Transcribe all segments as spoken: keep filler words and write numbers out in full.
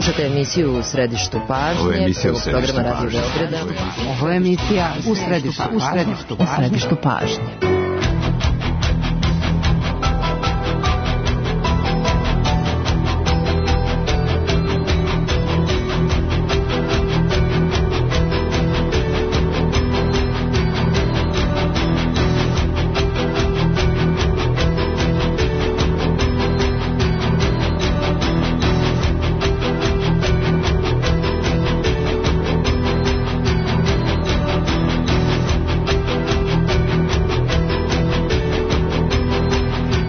Slušate emisiju U središtu pažnje, prvog programa Radio Beograda. Ovo je emisija U središtu, u središtu, u središtu pažnje.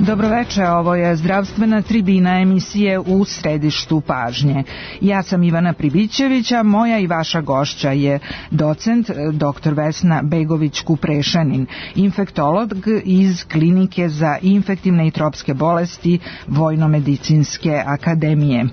Dobroveče, ovo je zdravstvena tribina emisije U središtu pažnje. Ja sam Ivana Pribićevića, moja i vaša gošća je docent doktor Vesna Begović-Kuprešanin, infektolog iz Klinike za infektivne i tropske bolesti Vojnomedicinske akademije.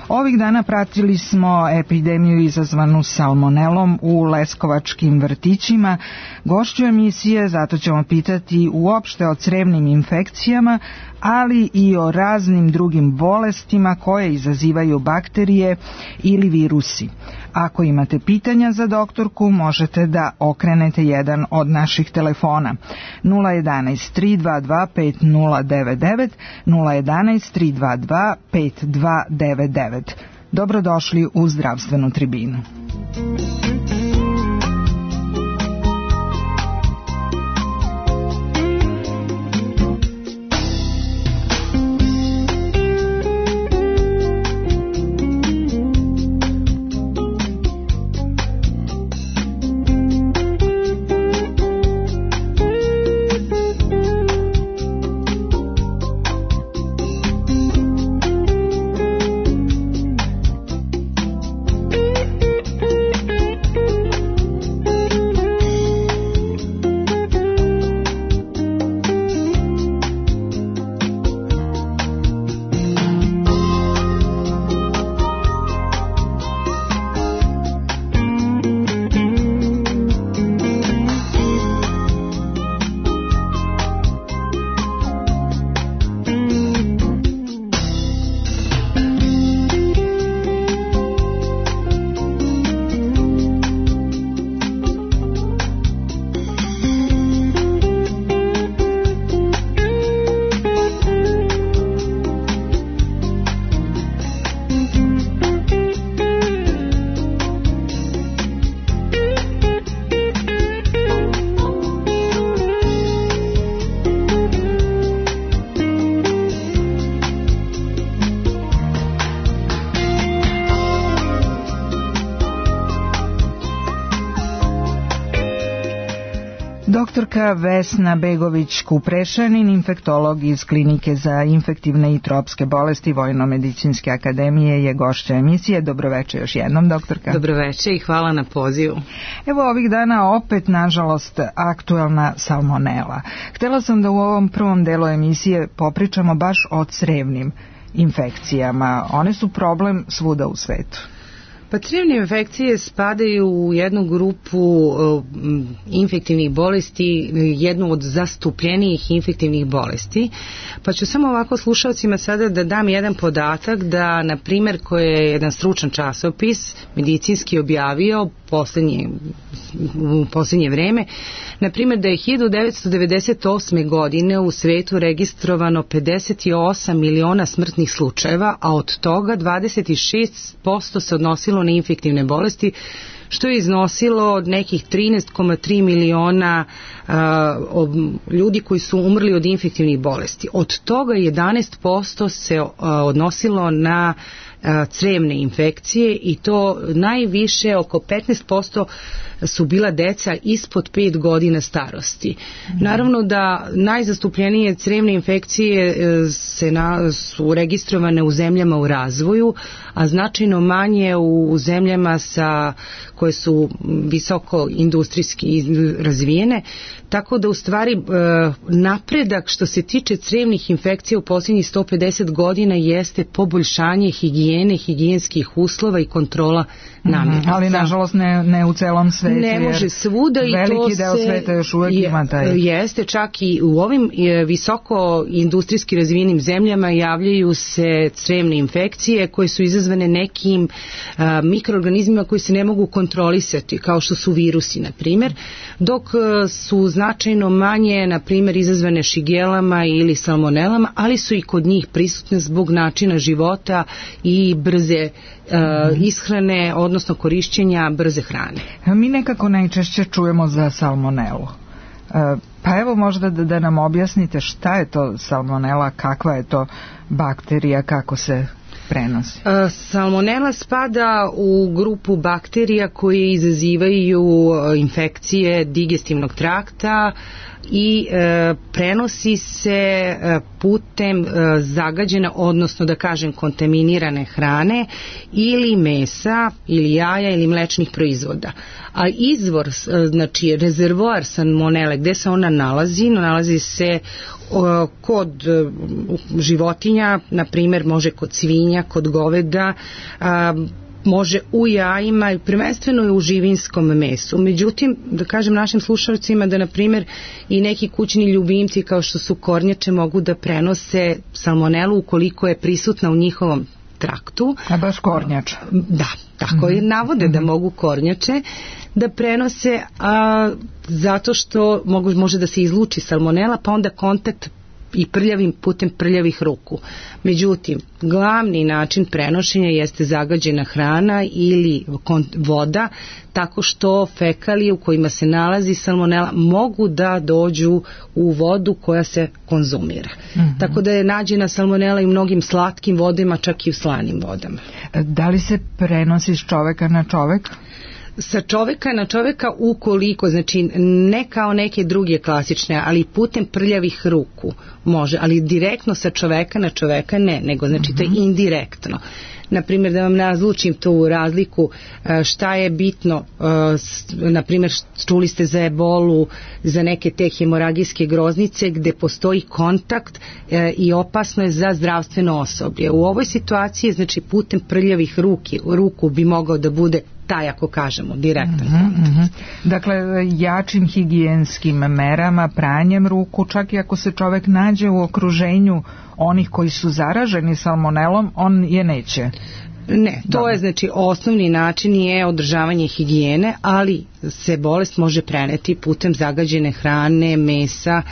Ovih dana pratili smo epidemiju izazvanu salmonelom u leskovačkim vrtićima. Gošću emisije, zato ćemo pitati uopšte o crevnim infekcijama, ali i o raznim drugim bolestima koje izazivaju bakterije ili virusi. Ako imate pitanja za doktorku, možete da okrenete jedan od naših telefona nula jedanaest tri dva dva pet nula devet devet, nula jedanaest tri dva dva pet dva devet devet. Dobrodošli u zdravstvenu tribinu. Doktorka Vesna Begović-Kuprešanin, infektolog iz Klinike za infektivne i tropske bolesti Vojnomedicinske akademije, je gošća emisije. Dobroveče još jednom, doktorka. Dobroveče i hvala na pozivu. Evo ovih dana opet, nažalost, aktuelna salmonela. Htela sam da u ovom prvom delu emisije popričamo baš o crevnim infekcijama. One su problem svuda u svetu. Pa crevne infekcije spadaju u jednu grupu uh, infektivnih bolesti, jednu od zastupljenijih infektivnih bolesti. Pa ću samo ovako slušalcima sada da dam jedan podatak da, na primjer, koji je jedan stručan časopis medicinski objavio poslednje, u poslednje vreme, na primjer da je hiljadu devetsto devedeset osme. godine u svetu registrovano pedeset osam miliona smrtnih slučajeva, a od toga dvadeset šest posto se odnosilo na infektivne bolesti, što je iznosilo od nekih trinaest zarez tri miliona uh, ljudi koji su umrli od infektivnih bolesti. Od toga jedanaest posto se uh, odnosilo na uh, crevne infekcije i to najviše, oko petnaest posto su bila deca ispod pet godina starosti. Mm. Naravno da najzastupljenije crevne infekcije se na, su registrovane u zemljama u razvoju, a značajno manje u zemljama sa, koje su visoko industrijski razvijene, tako da u stvari napredak što se tiče crevnih infekcija u posljednjih sto pedeset godina jeste poboljšanje higijene, higijenskih uslova i kontrola namirnica. Ali nažalost ne, ne u celom svetu. Ne može svuda i veliki to deo sveta još uvek je, ima taj. Jeste, čak i u ovim visoko industrijski razvijenim zemljama javljaju se crijevne infekcije koje su izazvane nekim a, mikroorganizmima koji se ne mogu kontrolisati, kao što su virusi, na primjer, dok a, su značajno manje, na primjer, izazvane šigelama ili salmonelama, ali su i kod njih prisutne zbog načina života i brze a, ishrane, odnosno korišćenja brze hrane. Mi nekako najčešće čujemo za salmonelu. Pa evo možda da, da nam objasnite šta je to salmonela, kakva je to bakterija, kako se prenosi. Salmonela spada u grupu bakterija koje izazivaju infekcije digestivnog trakta i e, prenosi se e, putem e, zagađene, odnosno da kažem kontaminirane hrane ili mesa ili jaja ili mlečnih proizvoda. A izvor, znači rezervoar salmonele, gde se ona nalazi, nalazi se o, kod o, životinja, na primjer može kod svinja, kod goveda, a, može u jajima i prvenstveno je u živinskom mesu. Međutim, da kažem našim slušalcima da na primjer i neki kućni ljubimci kao što su kornjače mogu da prenose salmonelu ukoliko je prisutna u njihovom traktu. A baš kornjača. Da, tako je, navode da mogu kornjače da prenose, a zato što mogu, može da se izluči salmonela, pa onda kontakt i prljavim putem prljavih ruku. Međutim, glavni način prenošenja jeste zagađena hrana ili voda, tako što fekalije u kojima se nalazi salmonela mogu da dođu u vodu koja se konzumira. Mm-hmm. Tako da je nađena salmonela i u mnogim slatkim vodama, čak i u slanim vodama. Da li se prenosi s čoveka na čoveka? Sa čoveka na čoveka ukoliko, znači ne kao neke druge klasične, ali putem prljavih ruku može, ali direktno sa čoveka na čoveka ne, nego znači mm-hmm. to je indirektno. Naprimjer, da vam razlučim tu razliku šta je bitno, naprimjer čuli ste za ebolu, za neke te hemoragijske groznice gde postoji kontakt i opasno je za zdravstveno osoblje. U ovoj situaciji, znači putem prljavih ruki, ruku bi mogao da bude taj, ako kažemo, direktan mm-hmm, kontakt. Mm-hmm. Dakle, jačim higijenskim merama, pranjem ruku, čak i ako se čovek nađe u okruženju onih koji su zaraženi salmonelom, on je neće. Ne, to Dobre. je znači osnovni način je održavanje higijene, ali se bolest može preneti putem zagađene hrane, mesa,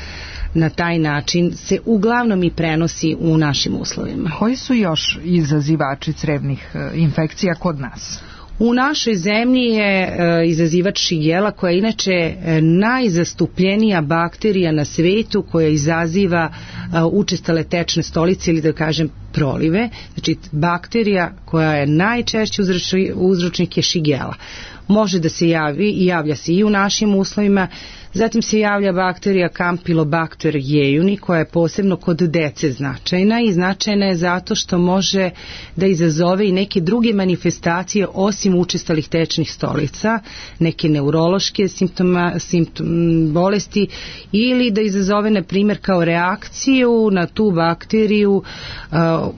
na taj način se uglavnom i prenosi u našim uslovima. Koji su još izazivači crevnih infekcija kod nas? U našoj zemlji je e, izazivač šigela, koja je inače e, najzastupljenija bakterija na svetu, koja izaziva e, učestale tečne stolice ili da kažem prolive. Znači bakterija koja je najčešći uzročnik je šigela. Može da se javi i javlja se i u našim uslovima. Zatim se javlja bakterija Campylobacter jejuni, koja je posebno kod dece značajna i značajna je zato što može da izazove i neke druge manifestacije osim učestalih tečnih stolica, neke neurološke simptoma, simptom, bolesti, ili da izazove na primjer kao reakciju na tu bakteriju uh,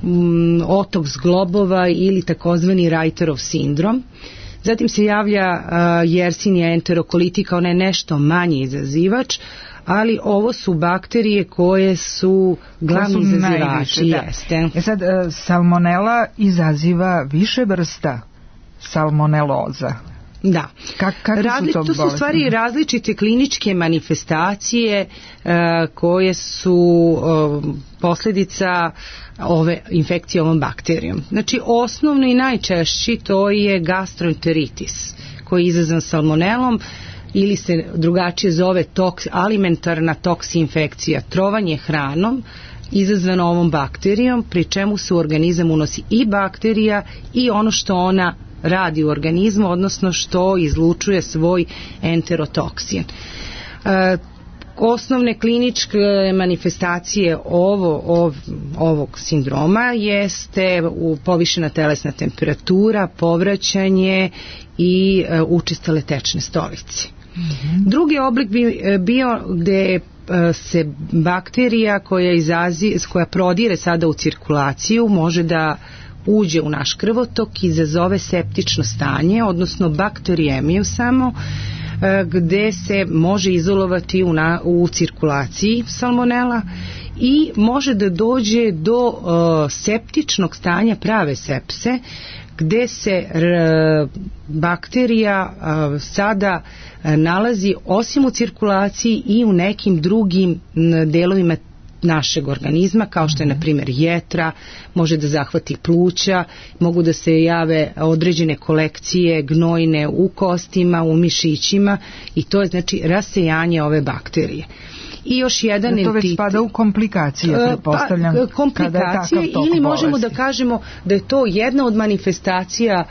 um, otok zglobova ili takozvani Reiterov sindrom. Zatim se javlja uh, Yersinia enterokolitika, kao ne nešto manji izazivač, ali ovo su bakterije koje su glavni su izazivači. Jeste. E sad, uh, salmonela izaziva više vrsta salmoneloza. Da. Kak, Razli, su to, to su stvari različite kliničke manifestacije uh, koje su uh, posljedica ove infekcije ovom bakterijom. Znači osnovno i najčešći to je gastroenteritis koji je izazvan salmonelom ili se drugačije zove toks, alimentarna toksi infekcija, trovanje hranom izazvano ovom bakterijom, pri čemu se u organizam unosi i bakterija i ono što ona radi u organizmu, odnosno što izlučuje svoj enterotoksin. E, osnovne kliničke manifestacije ovo, ov, ovog sindroma jeste u povišena telesna temperatura, povraćanje i e, učestale tečne stolice. Mm-hmm. Drugi oblik bi bio gde se bakterija koja izazi, koja prodire sada u cirkulaciju može da uđe u naš krvotok i izazove septično stanje, odnosno bakteriemiju samo, gde se može izolovati u, na, u cirkulaciji salmonela i može da dođe do uh, septičnog stanja, prave sepse, gde se r, bakterija uh, sada uh, nalazi osim u cirkulaciji i u nekim drugim delovima našeg organizma, kao što je na primjer jetra, može da zahvati pluća, mogu da se jave određene kolekcije gnojne u kostima, u mišićima, i to je znači rasejanje ove bakterije. I još jedan to entitet, već spada u komplikacije, pretpostavljam. Pa, komplikacije ili možemo bolesti. Da kažemo da je to jedna od manifestacija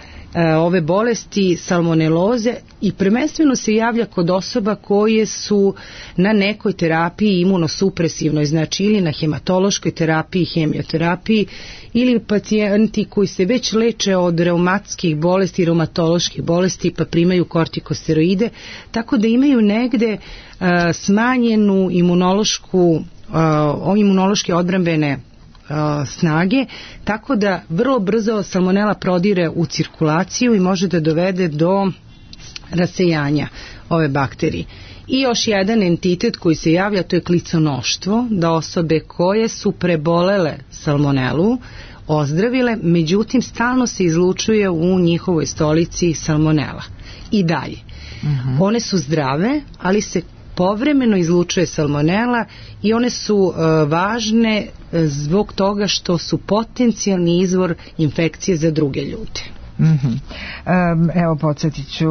ove bolesti salmoneloze i prvenstveno se javlja kod osoba koje su na nekoj terapiji imunosupresivnoj, znači ili na hematološkoj terapiji, hemioterapiji, ili pacijenti koji se već leče od reumatskih bolesti, reumatoloških bolesti pa primaju kortikosteroide, tako da imaju negde uh, smanjenu imunološku, uh, imunološke odbrambene snage, tako da vrlo brzo salmonela prodire u cirkulaciju i može da dovede do rasejanja ove bakterije. I još jedan entitet koji se javlja, to je kliconoštvo, da osobe koje su prebolele salmonelu ozdravile, međutim stalno se izlučuje u njihovoj stolici salmonela. I dalje. Uh-huh. One su zdrave, ali se povremeno izlučuje salmonela i one su uh, važne zbog toga što su potencijalni izvor infekcije za druge ljude. Mm-hmm. Evo, podsjetit ću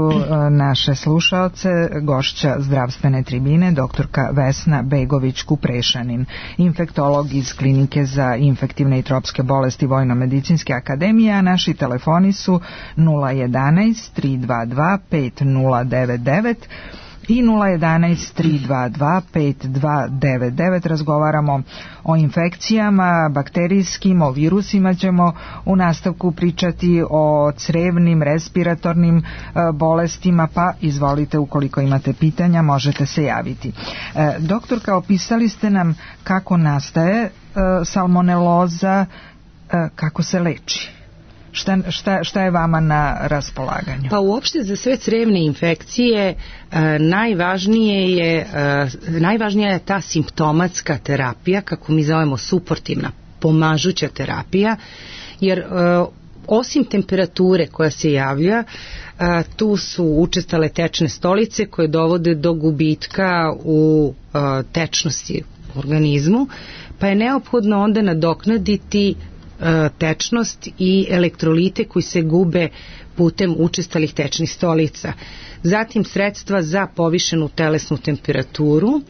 naše slušaoce, gošća zdravstvene tribine, doktorka Vesna Begović-Kuprešanin, infektolog iz Klinike za infektivne i tropske bolesti Vojno-medicinske akademije, a naši telefoni su nula jedanaest tri dva dva pet nula devet devet i nula jedanaest tri dva dva pet dva devet devet. Razgovaramo o infekcijama bakterijskim, o virusima ćemo u nastavku pričati, o crevnim, respiratornim e, bolestima, pa izvolite, ukoliko imate pitanja možete se javiti. E, doktorka, opisali ste nam kako nastaje e, salmoneloza, e, kako se leči. Šta, šta, šta je vama na raspolaganju? Pa uopšte za sve crevne infekcije e, najvažnije je, e, najvažnija je ta simptomatska terapija, kako mi zovemo suportivna, pomažuća terapija, jer e, osim temperature koja se javlja, e, tu su učestale tečne stolice koje dovode do gubitka u e, tečnosti u organizmu, pa je neophodno onda nadoknaditi tečnost i elektrolite koji se gube putem učestalih tečnih stolica. Zatim sredstva za povišenu telesnu temperaturu,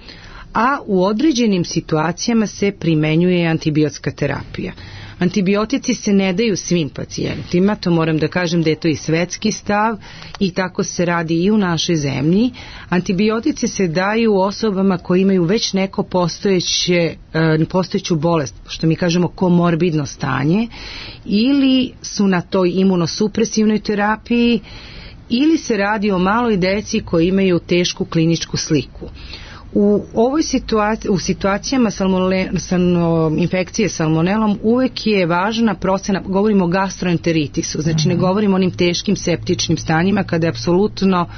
a u određenim situacijama se primenjuje antibiotska terapija. Antibiotici se ne daju svim pacijentima, to moram da kažem da je to i svetski stav i tako se radi i u našoj zemlji. Antibiotici se daju osobama koji imaju već neko postojeće, postojeću bolest, što mi kažemo komorbidno stanje, ili su na toj imunosupresivnoj terapiji, ili se radi o maloj deci koji imaju tešku kliničku sliku. U ovoj situaciji, u situacijama salmonele, salmo, infekcije salmonelom uvek je važna procena, govorimo o gastroenteritisu, znači ne govorimo o onim teškim septičnim stanjima kada je apsolutno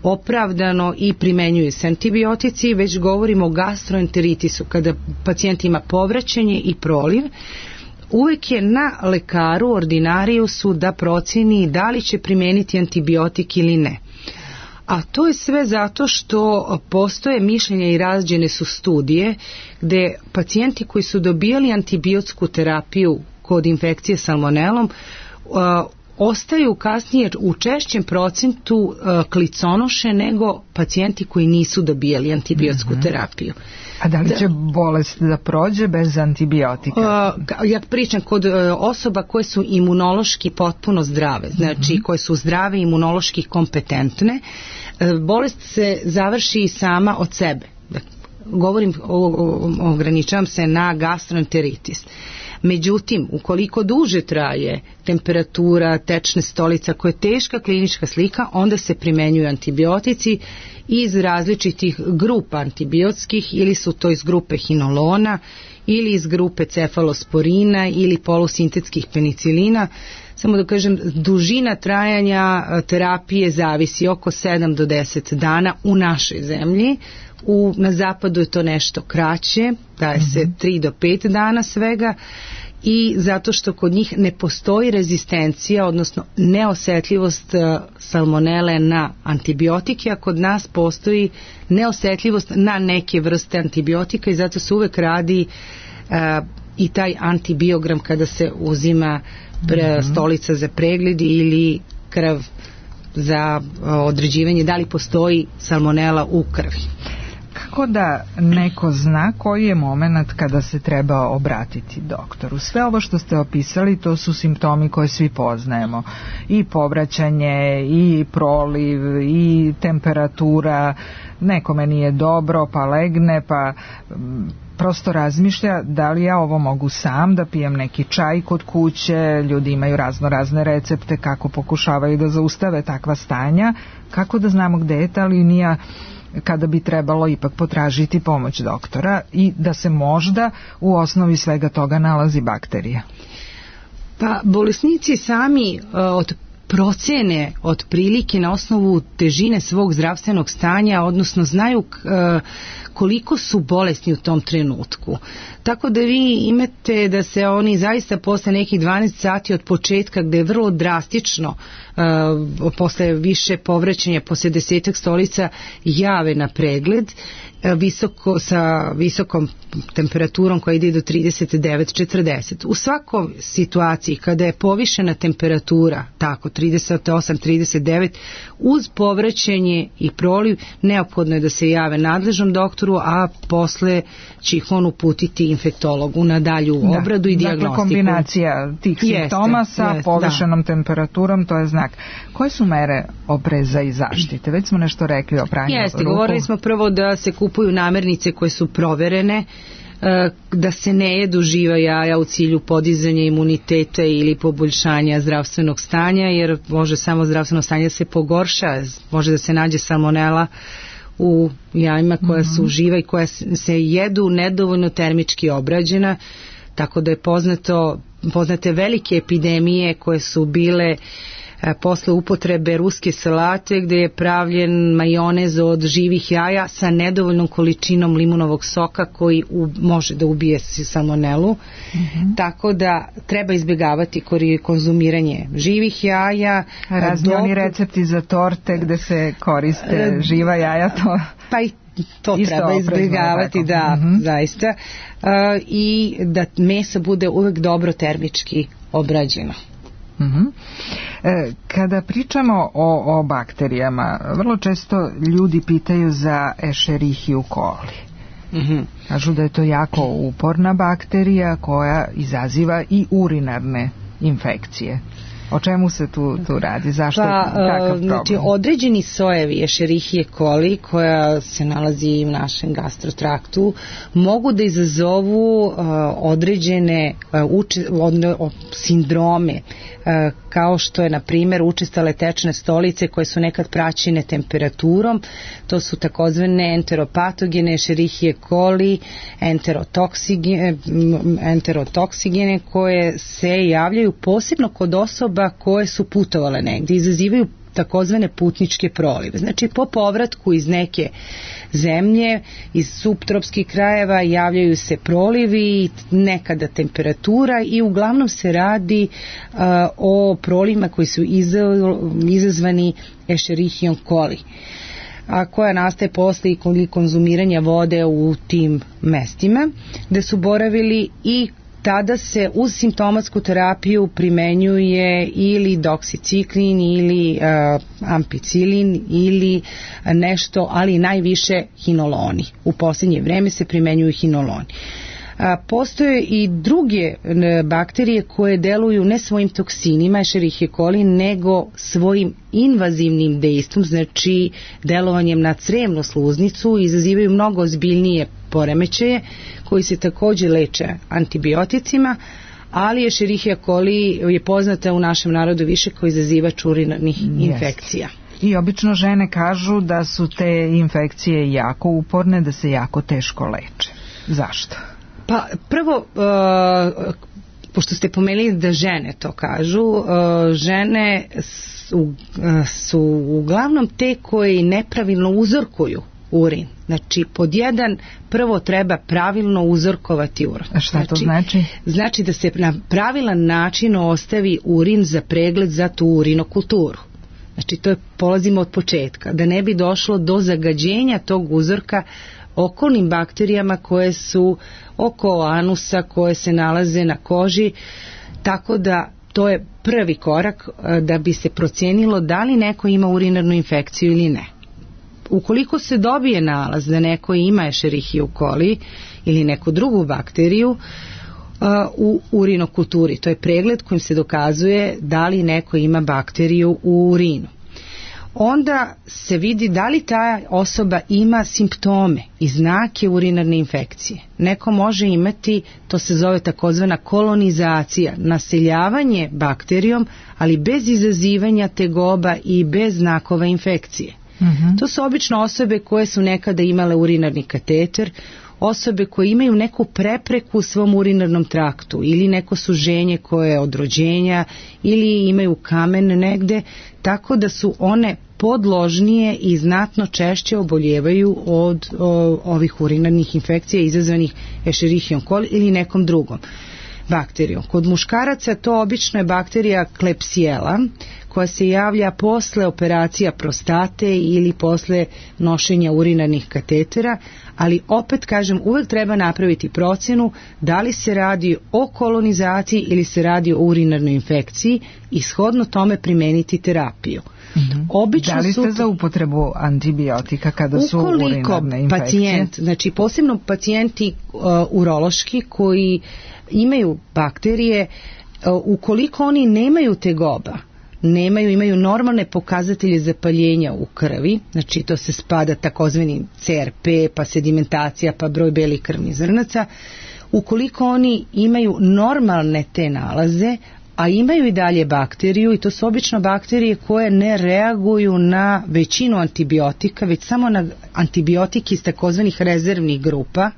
opravdano i primenjuju se antibiotici, već govorimo o gastroenteritisu kada pacijent ima povraćanje i proliv. Uvek je na lekaru, ordinariusu, da proceni da li će primeniti antibiotik ili ne. A to je sve zato što postoje mišljenja i razđene su studije gde pacijenti koji su dobijali antibiotsku terapiju kod infekcije salmonelom uh, ostaju kasnije u češćem procentu uh, kliconoše nego pacijenti koji nisu dobijali antibiotsku mm-hmm. terapiju. A da li će bolest da prođe bez antibiotika? Uh, ja pričam kod uh, osoba koje su imunološki potpuno zdrave, znači mm-hmm. koje su zdrave, imunološki kompetentne, uh, bolest se završi sama od sebe. Govorim, o, o, ograničavam se na gastroenteritis. Međutim, ukoliko duže traje temperatura, tečne stolica koja je teška klinička slika, onda se primenjuju antibiotici iz različitih grupa antibiotskih, ili su to iz grupe hinolona, ili iz grupe cefalosporina, ili polusintetskih penicilina. samo da kažem, dužina trajanja terapije zavisi oko sedam do deset dana u našoj zemlji. U, na zapadu je to nešto kraće, daje se mm-hmm. tri do pet dana svega, i zato što kod njih ne postoji rezistencija, odnosno neosetljivost salmonele na antibiotike, a kod nas postoji neosetljivost na neke vrste antibiotika i zato se uvek radi uh, i taj antibiogram kada se uzima pre, stolica za pregled ili krv za uh, određivanje da li postoji salmonela u krvi. Kako da neko zna koji je moment kada se treba obratiti doktoru? Sve ovo što ste opisali, to su simptomi koje svi poznajemo. I povraćanje, i proliv, i temperatura, nekome nije dobro, pa legne, pa prosto razmišlja da li ja ovo mogu sam, da pijem neki čaj kod kuće, ljudi imaju razno razne recepte kako pokušavaju da zaustave takva stanja. Kako da znamo gde je ta linija kada bi trebalo ipak potražiti pomoć doktora i da se možda u osnovi svega toga nalazi bakterija? Pa bolesnici sami uh, od procene otprilike na osnovu težine svog zdravstvenog stanja, odnosno znaju uh, koliko su bolesni u tom trenutku. Tako da vi imate da se oni zaista posle nekih dvanaest sati od početka, gde je vrlo drastično uh, posle više povraćanja, posle desetak stolica, jave na pregled uh, visoko, sa visokom temperaturom koja ide do trideset devet četrdeset. U svakoj situaciji kada je povišena temperatura, tako trideset osam trideset devet, uz povraćanje i proliv, neophodno je da se jave nadležnom doktoru, a posle će ih on uputiti infektologu na dalju obradu da, i dijagnostiku. Dakle, kombinacija tih simptoma jeste, sa jeste, povišenom da. temperaturom, to je znak. Koje su mere opreza i zaštite? Već smo nešto rekli o pranju Jeste, ruku. Govorili smo prvo da se kupuju namirnice koje su proverene, da se ne jedu živa jaja u cilju podizanja imuniteta ili poboljšanja zdravstvenog stanja, jer može samo zdravstveno stanje se pogorša, može da se nađe salmonela u jajima koja su mm-hmm. živa i koja se jedu nedovoljno termički obrađena, tako da je poznato, poznate velike epidemije koje su bile posle upotrebe ruske salate gde je pravljen majonez od živih jaja sa nedovoljnom količinom limunovog soka koji u, može da ubije salmonelu. Mm-hmm. Tako da treba izbjegavati konzumiranje živih jaja. Razni dok... oni recepti za torte gde se koriste živa jaja, to... Pa i to isto treba izbjegavati, da, mm-hmm. zaista. Uh, I da meso bude uvek dobro termički obrađeno. Uh-huh. E, kada pričamo o, o bakterijama, vrlo često ljudi pitaju za Escherichia coli. Uh-huh. Kažu da je to jako uporna bakterija koja izaziva i urinarne infekcije. O čemu se tu, tu radi? Zašto pa, je takav problem? Znači, određeni sojevi Escherichia coli koja se nalazi u našem gastrotraktu mogu da izazovu uh, određene uh, uče, od, od, sindrome uh, kao što je na primjer učestale tečne stolice koje su nekad praćene temperaturom. To su takozvane enteropatogene Escherichia coli, enterotoksigene, enterotoksigene koje se javljaju posebno kod osoba koje su putovale negdje, izazivaju takozvane putničke prolive. Znači po povratku iz neke zemlje, iz subtropskih krajeva javljaju se prolivi, nekada temperatura i uglavnom se radi uh, o prolivima koji su izazvani Escherichia coli, a koja nastaje posle i konzumiranja vode u tim mestima gde su boravili, i tada se uz simptomatsku terapiju primenjuje ili doksiciklin ili uh, ampicilin ili nešto, ali najviše hinoloni. U posljednje vreme se primenjuju hinoloni. A, postoje i druge bakterije koje deluju ne svojim toksinima Escherichia coli, nego svojim invazivnim dejstvom, znači delovanjem na crevnu sluznicu, izazivaju mnogo ozbiljnije poremećaje koji se također leče antibioticima, ali Escherichia coli je poznata u našem narodu više kao izazivač urinarnih yes. infekcija. I obično žene kažu da su te infekcije jako uporne, da se jako teško leče. Zašto? Pa prvo, uh, pošto ste pomenuli da žene to kažu, žene su, su uglavnom te koje nepravilno uzorkuju urin. Znači, pod jedan, prvo treba pravilno uzorkovati urin. A šta to znači? Znači da se na pravilan način ostavi urin za pregled za tu urinokulturu. Znači, to je, polazimo od početka, da ne bi došlo do zagađenja tog uzorka okolnim bakterijama koje su oko anusa, koje se nalaze na koži, tako da to je prvi korak da bi se procijenilo da li neko ima urinarnu infekciju ili ne. Ukoliko se dobije nalaz da neko ima Escherichia coli ili neku drugu bakteriju uh, u urinokulturi, to je pregled kojim se dokazuje da li neko ima bakteriju u urinu, onda se vidi da li ta osoba ima simptome i znake urinarne infekcije. Neko može imati, to se zove takozvana kolonizacija, naseljavanje bakterijom, ali bez izazivanja tegoba i bez znakova infekcije. Uh-huh. To su obično osobe koje su nekada imale urinarni kateter, osobe koje imaju neku prepreku u svom urinarnom traktu ili neko suženje koje je od rođenja ili imaju kamen negde, tako da su one podložnije i znatno češće oboljevaju od o, ovih urinarnih infekcija izazvanih Escherichia coli ili nekom drugom bakterijom. Kod muškaraca to obično je bakterija Klebsiella koja se javlja posle operacija prostate ili posle nošenja urinarnih katetera, ali opet kažem, uvek treba napraviti procjenu da li se radi o kolonizaciji ili se radi o urinarnoj infekciji i shodno tome primeniti terapiju. Mm-hmm. Obično da li ste su, za upotrebu antibiotika kada su urinarne infekcije? Pacijent, znači posebno pacijenti uh, urološki koji imaju bakterije, uh, ukoliko oni nemaju tegoba, nemaju, imaju normalne pokazatelje zapaljenja u krvi, znači to se spada takozvani C R P, pa sedimentacija, pa broj belih krvnih zrnaca, ukoliko oni imaju normalne te nalaze, a imaju i dalje bakteriju, i to su obično bakterije koje ne reaguju na većinu antibiotika, već samo na antibiotike iz takozvanih rezervnih grupa,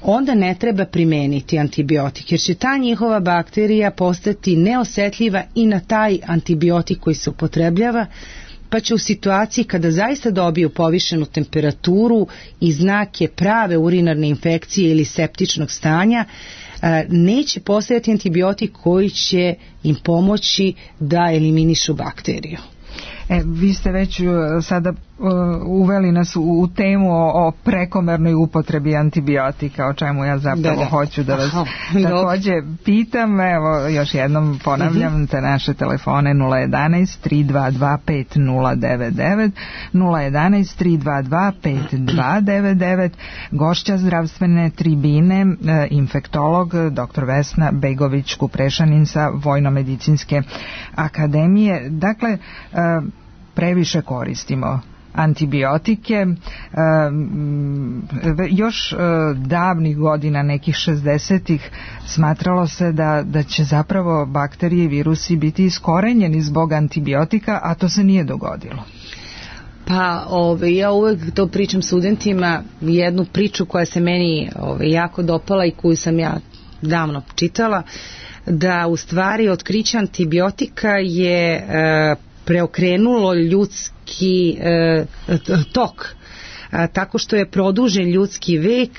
onda ne treba primeniti antibiotik, jer će ta njihova bakterija postati neosetljiva i na taj antibiotik koji se upotrebljava, pa će u situaciji kada zaista dobiju povišenu temperaturu i znake prave urinarne infekcije ili septičnog stanja, neće postojati antibiotik koji će im pomoći da eliminišu bakteriju. E, vi ste već sada uh, uveli nas u, u temu o, o prekomernoj upotrebi antibiotika, o čemu ja zapravo da, da. hoću da vas Aha, također pitam. Evo, još jednom ponavljam, uh-huh. te naše telefone nula jedanaest tri dva dva pet nula devet devet, nula jedanaest tri dva dva pet dva devet devet. Gošća zdravstvene tribine, infektolog doktor Vesna Begović-Kuprešanin sa Vojno-medicinske akademije. Dakle, previše koristimo antibiotike. Još davnih godina, nekih šezdesetih, smatralo se da, da će zapravo bakterije i virusi biti iskorenjeni zbog antibiotika, a to se nije dogodilo. Pa ove, ja uvek to pričam studentima, jednu priču koja se meni ove, jako dopala i koju sam ja davno čitala, da u stvari otkriće antibiotika je e, preokrenulo ljudski e, tok, a, tako što je produžen ljudski vek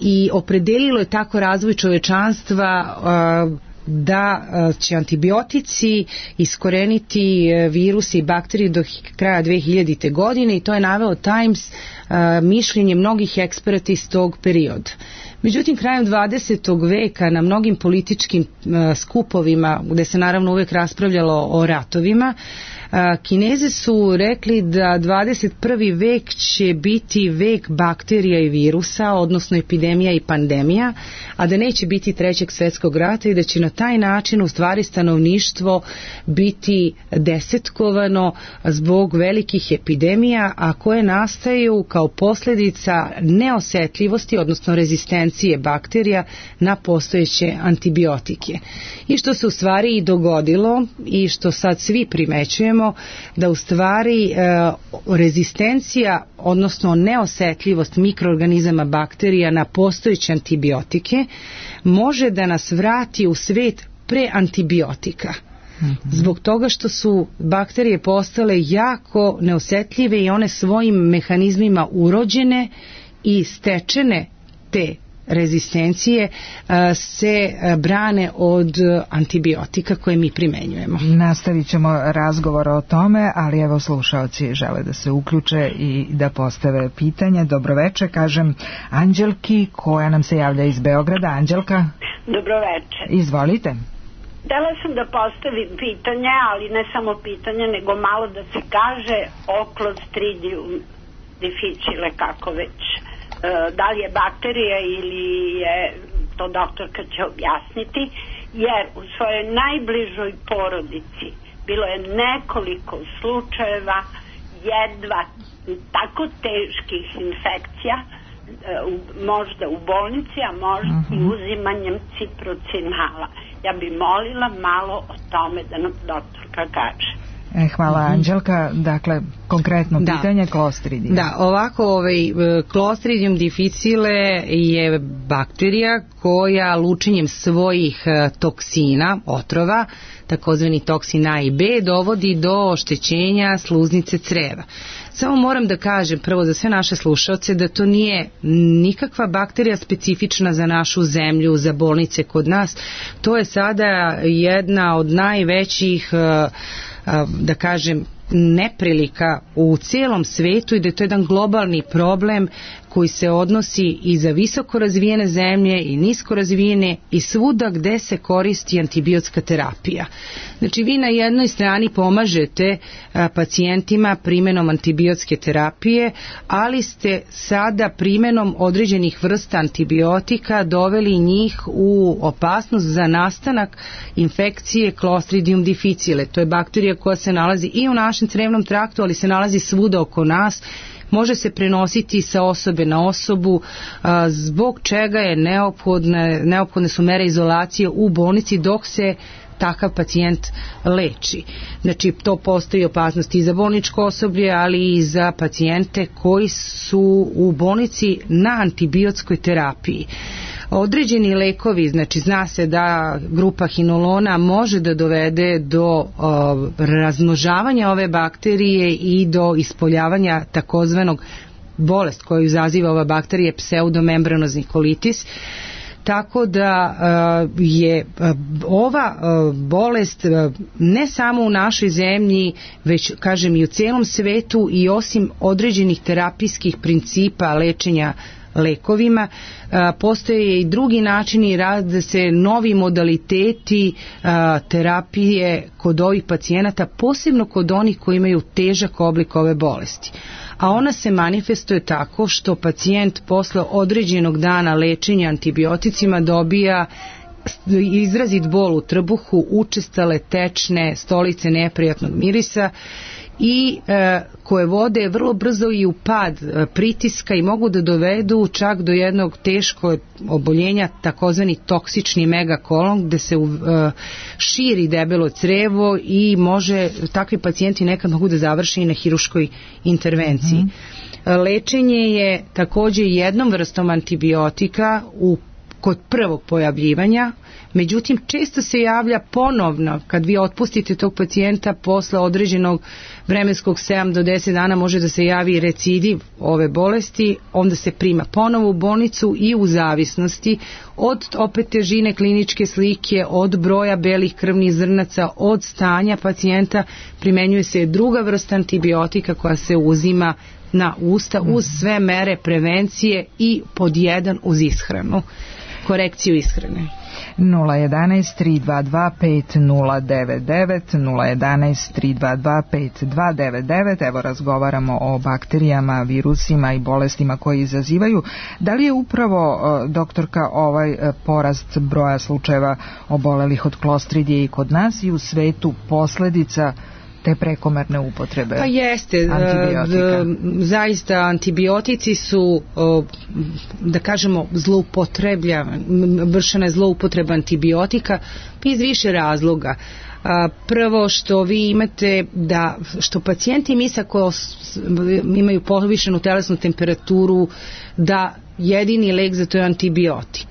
i opredelilo je tako razvoj čovečanstva a, da a, će antibiotici iskoreniti virusi i bakterije do kraja dve hiljadite godine, i to je naveo Times a, mišljenje mnogih eksperata iz tog perioda. Međutim, krajem dvadesetog veka na mnogim političkim uh, skupovima, gde se naravno uvek raspravljalo o ratovima, uh, Kinezi su rekli da dvadeset prvi vek će biti vek bakterija i virusa, odnosno epidemija i pandemija, a da neće biti trećeg svjetskog rata i da će na taj način u stvari stanovništvo biti desetkovano zbog velikih epidemija, a koje nastaju kao posljedica neosetljivosti, odnosno rezistencije rezistencije bakterija na postojeće antibiotike. I što se u stvari i dogodilo i što sad svi primećujemo, da u stvari e, rezistencija, odnosno neosetljivost mikroorganizama bakterija na postojeće antibiotike može da nas vrati u svet pre antibiotika. Zbog toga što su bakterije postale jako neosetljive i one svojim mehanizmima urođene i stečene te rezistencije se brane od antibiotika koje mi primenjujemo. Nastavit ćemo razgovor o tome, ali evo slušaoci žele da se uključe i da postave pitanje. Dobroveče, kažem Anđelki koja nam se javlja iz Beograda. Anđelka? Dobroveče. Izvolite. Htela sam da postavim pitanje, ali ne samo pitanje, nego malo da se kaže o Clostridium difficile, kako već. E, da li je bakterija ili je, to doktorka će objasniti, jer u svojoj najbližoj porodici bilo je nekoliko slučajeva jedva tako teških infekcija, e, u, možda u bolnici, a možda uh-huh. i uzimanjem ciprocinala. Ja bi molila malo o tome da nam doktorka kaže. E, hvala mm-hmm. Anđelka. Dakle, konkretno da. pitanje Clostridium. Da, ovako, ovaj, Clostridium difficile je bakterija koja lučenjem svojih toksina, otrova, takozvani toksin A i B, dovodi do oštećenja sluznice creva. Samo moram da kažem prvo za sve naše slušaoce da to nije nikakva bakterija specifična za našu zemlju, za bolnice kod nas. To je sada jedna od najvećih, da kažem, neprilika u cijelom svetu i da je to jedan globalni problem koji se odnosi i za visoko razvijene zemlje i nisko razvijene i svuda gde se koristi antibiotska terapija. Znači vi na jednoj strani pomažete a, pacijentima primjenom antibiotske terapije, ali ste sada primjenom određenih vrsta antibiotika doveli njih u opasnost za nastanak infekcije Clostridium difficile. To je bakterija koja se nalazi i u našem crevnom traktu, ali se nalazi svuda oko nas. Može se prenositi sa osobe na osobu, a, zbog čega je neophodne, neophodne su mere izolacije u bolnici dok se takav pacijent leči. Znači, to postoji opasnost i za bolničko osoblje, ali i za pacijente koji su u bolnici na antibiotskoj terapiji. Određeni lekovi, znači zna se da grupa hinolona može da dovede do uh, razmnožavanja ove bakterije i do ispoljavanja takozvanog bolest koju izaziva ova bakterija, pseudomembranozni kolitis. Tako da uh, je uh, ova uh, bolest uh, ne samo u našoj zemlji, već kažem i u cijelom svetu, i osim određenih terapijskih principa lečenja lekovima, a, postoje i drugi načini rada se novi modaliteti a, terapije kod ovih pacijenata, posebno kod onih koji imaju težak oblik ove bolesti. A ona se manifestuje tako što pacijent posle određenog dana lečenja antibioticima dobija izrazit bol u trbuhu, učestale tečne stolice neprijatnog mirisa i e, koje vode vrlo brzo i u pad e, pritiska i mogu da dovedu čak do jednog teškog oboljenja, takozvani toksični megakolon, gde se e, širi debelo crevo i može, takvi pacijenti nekad mogu da završe i na hiruškoj intervenciji. Mm-hmm. Lečenje je takođe jednom vrstom antibiotika u kod prvog pojavljivanja, međutim često se javlja ponovno kad vi otpustite tog pacijenta posle određenog vremenskog sedam do deset dana može da se javi recidiv ove bolesti, onda se prima ponovo u bolnicu i u zavisnosti od opet težine kliničke slike, od broja belih krvnih zrnaca, od stanja pacijenta primenjuje se druga vrsta antibiotika koja se uzima na usta uz sve mere prevencije i pod jedan uz ishranu, korekciju ishrane. nula jedanaest tri dva dva pet nula devet devet nula jedanaest tri dva dva pet dva devet devet. Evo razgovaramo o bakterijama, virusima i bolestima koji izazivaju. Da li je upravo, doktorka, ovaj porast broja slučajeva obolelih od klostridije i kod nas i u svetu posledica te prekomerne upotrebe pa jeste, antibiotika? Zaista antibiotici su, da kažemo, zloupotrebljavani, vršena je zloupotreba antibiotika iz više razloga. Prvo što vi imate da, što pacijenti misle koji imaju povišenu telesnu temperaturu da jedini lek za to je antibiotik.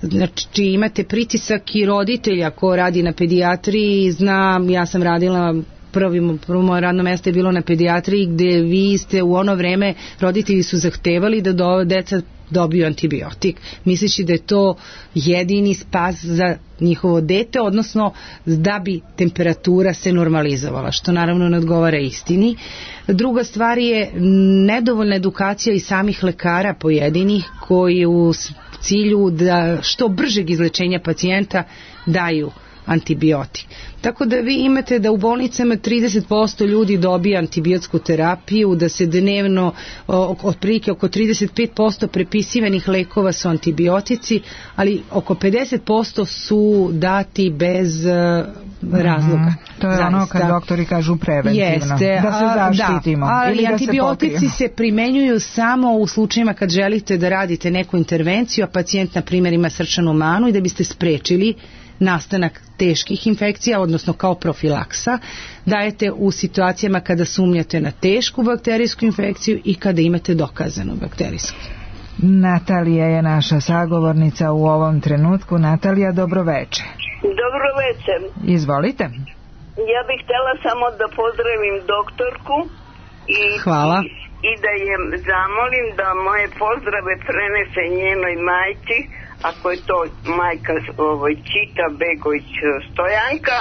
Znači imate pritisak i roditelja ko radi na pedijatriji, znam, ja sam radila Prvo, prvo moje radno mjesto je bilo na pedijatriji gdje vi ste u ono vreme, roditelji su zahtevali da do, deca dobiju antibiotik, misleći da je to jedini spas za njihovo dete, odnosno da bi temperatura se normalizovala, što naravno ne odgovara istini. Druga stvar je nedovoljna edukacija i samih lekara pojedinih koji u cilju da što bržeg izlečenja pacijenta daju antibiotik. Tako da vi imate da u bolnicama trideset posto ljudi dobije antibiotsku terapiju, da se dnevno otprilike oko trideset pet posto prepisivanih lekova su antibiotici, ali oko pedeset posto su dati bez uh, razloga. Mm-hmm. To je zaista ono kad doktori kažu preventivno. Jeste, da se zaštitimo. Da, ali ili da antibiotici se, se primenjuju samo u slučajima kad želite da radite neku intervenciju, a pacijent na primjer ima srčanu manu i da biste sprečili nastanak teških infekcija, odnosno kao profilaksa, dajete u situacijama kada sumnjate na tešku bakterijsku infekciju i kada imate dokazanu bakterijsku. Natalija je naša sagovornica u ovom trenutku. Natalija, dobroveče. Dobroveče. Izvolite. Ja bih htjela samo da pozdravim doktorku i, Hvala. i, i da je zamolim da moje pozdrave prenese njenoj majci, ako je to majka ovoj Čita Begović Stojanka.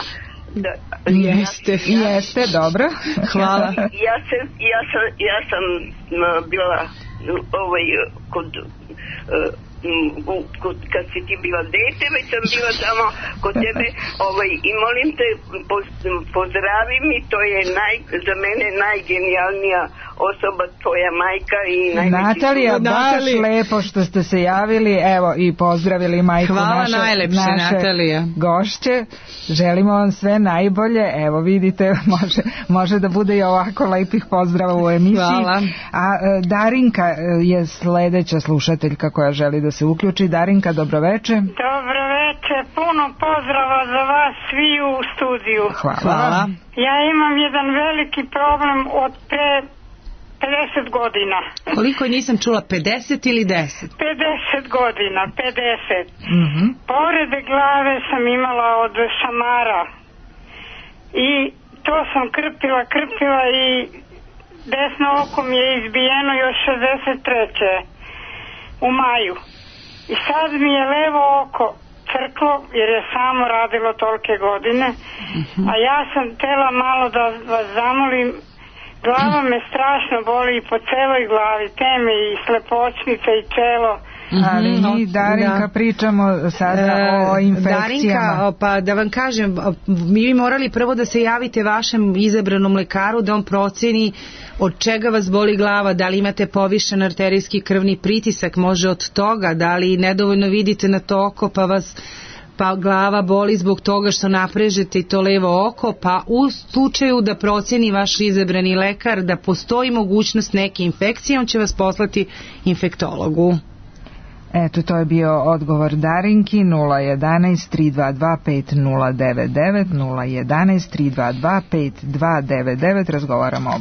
Da, jeste, ja, jeste, dobro. Hvala. Ja, se, ja, sam, ja sam bila ovaj, kod, kod, kad si ti bila dete, već sam bila samo kod tebe ovaj, i molim te, pozdravi mi, to je naj, za mene najgenijalnija osoba, tvoja majka i najveći... Natalija, baš lepo što ste se javili, evo i pozdravili majku naše, najlepše, naše Natalija. gošće. Želimo vam sve najbolje, evo vidite, može, može da bude i ovako lepih pozdrava u emisiji. Hvala. A Darinka je sledeća slušateljka koja želi da se uključi. Darinka, dobroveče. Dobroveče, puno pozdrava za vas svi u studiju. Hvala. Hvala. Ja imam jedan veliki problem od pre pedeset godina. Koliko nisam čula, pedeset ili deset? pedeset godina, pedeset. Mm-hmm. Povrede glave sam imala od šamara i to sam krpila, krpila i desno oko mi je izbijeno još šezdeset treće u maju. I sad mi je levo oko crklo jer je samo radilo tolike godine, mm-hmm. a ja sam tela malo da vas zamolim. Glava me strašno boli i po celoj glavi, teme i slepočnica i čelo. Ali mi, Darinka, da. pričamo sada e, o infekcijama. Darinka, pa da vam kažem, mi bi morali prvo da se javite vašem izabranom lekaru da on proceni od čega vas boli glava, da li imate povišen arterijski krvni pritisak, može od toga, da li nedovoljno vidite na to oko pa vas pa glava boli zbog toga što naprežete i to levo oko, pa u slučaju da proceni vaš izabrani lekar da postoji mogućnost neke infekcije, on će vas poslati infektologu. Eto, to je bio odgovor Darinki. Nula jedanaest tri dva dva pet nula devet devet, nula jedanaest tri dva dva pet dva devet devet. Razgovaramo